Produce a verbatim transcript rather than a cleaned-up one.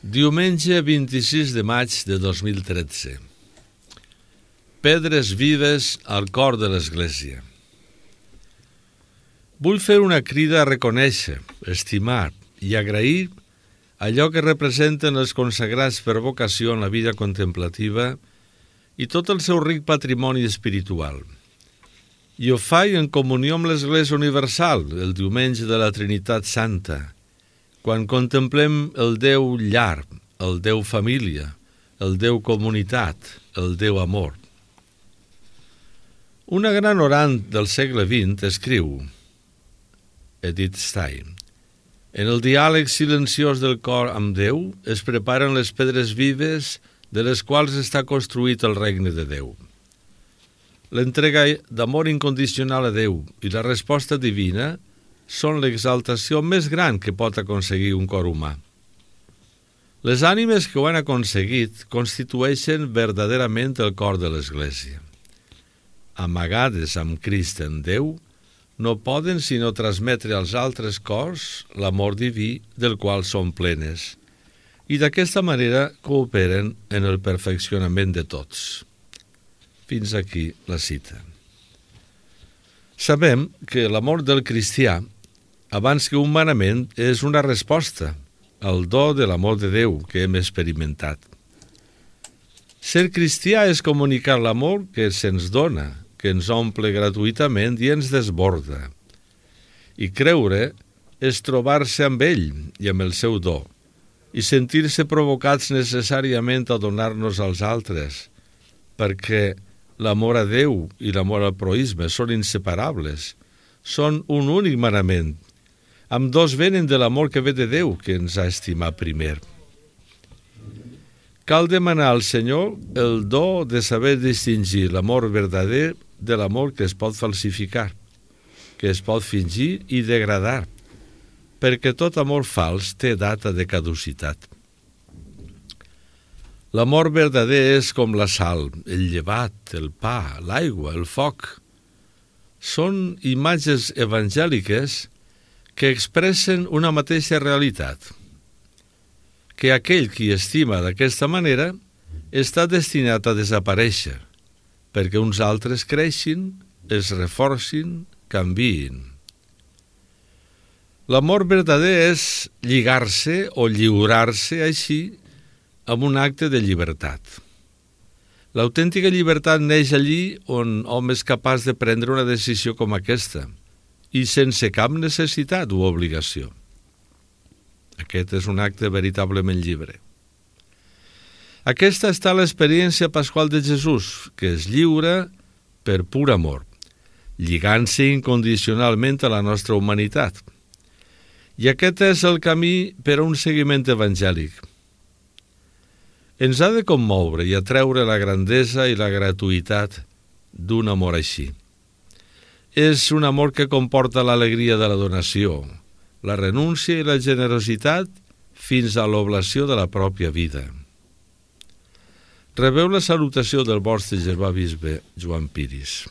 Diumenge vint-i-sis de maig de dos mil tretze. Pedres vives al cor de l'Església. Vull fer una crida a reconèixer, estimar i agrair allò que representen els consagrats per vocació en la vida contemplativa i tot el seu ric patrimoni espiritual. I ho faig en comunió amb l'Església Universal, el diumenge de la Trinitat Santa, quan contemplem el Déu llar, el Déu família, el Déu comunitat, el Déu amor. Una gran orant del segle vint escriu, Edith Stein, en el diàleg silenciós del cor amb Déu es preparen les pedres vives de les quals està construït el regne de Déu. L'entrega d'amor incondicional a Déu i la resposta divina són l'exaltació més gran que pot aconseguir un cor humà. Les ànimes que ho han aconseguit constitueixen verdaderament el cor de l'Església. Amagades amb Crist en Déu, no poden sinó transmetre als altres cors l'amor diví del qual són plenes, i d'aquesta manera cooperen en el perfeccionament de tots. Fins aquí la cita. Sabem que l'amor del cristià, abans que humanament, és una resposta al do de l'amor de Déu que hem experimentat. Ser cristià és comunicar l'amor que se'ns dona, que ens omple gratuïtament i ens desborda. I creure és trobar-se amb ell i amb el seu do, i sentir-se provocats necessàriament a donar-nos als altres, perquè l'amor a Déu i l'amor al proïsme són inseparables, són un únic manament. Ambdós venen de l'amor que ve de Déu, que ens ha estimat primer. Cal demanar al Senyor el do de saber distingir l'amor verdader de l'amor que es pot falsificar, que es pot fingir i degradar, perquè tot amor fals té data de caducitat. L'amor verdader és com la sal, el llevat, el pa, l'aigua, el foc. Són imatges evangèliques que expressen una mateixa realitat, que aquell qui estima d'aquesta manera està destinat a desaparèixer, perquè uns altres creixin, es reforcin, canviïn. L'amor verdader és lligar-se o lliurar-se així amb un acte de llibertat. L'autèntica llibertat neix allí on hom és capaç de prendre una decisió com aquesta, i sense cap necessitat o obligació. Aquest és un acte veritablement lliure. Aquesta està l'experiència pasqual de Jesús, que es lliura per pur amor, lligant-se incondicionalment a la nostra humanitat. I aquest és el camí per a un seguiment evangèlic. Ens ha de commoure i atreure la grandesa i la gratuïtat d'un amor així. És un amor que comporta l'alegria de la donació, la renúncia i la generositat fins a l'oblació de la pròpia vida. Rebeu la salutació del vostre germà bisbe Joan Piris.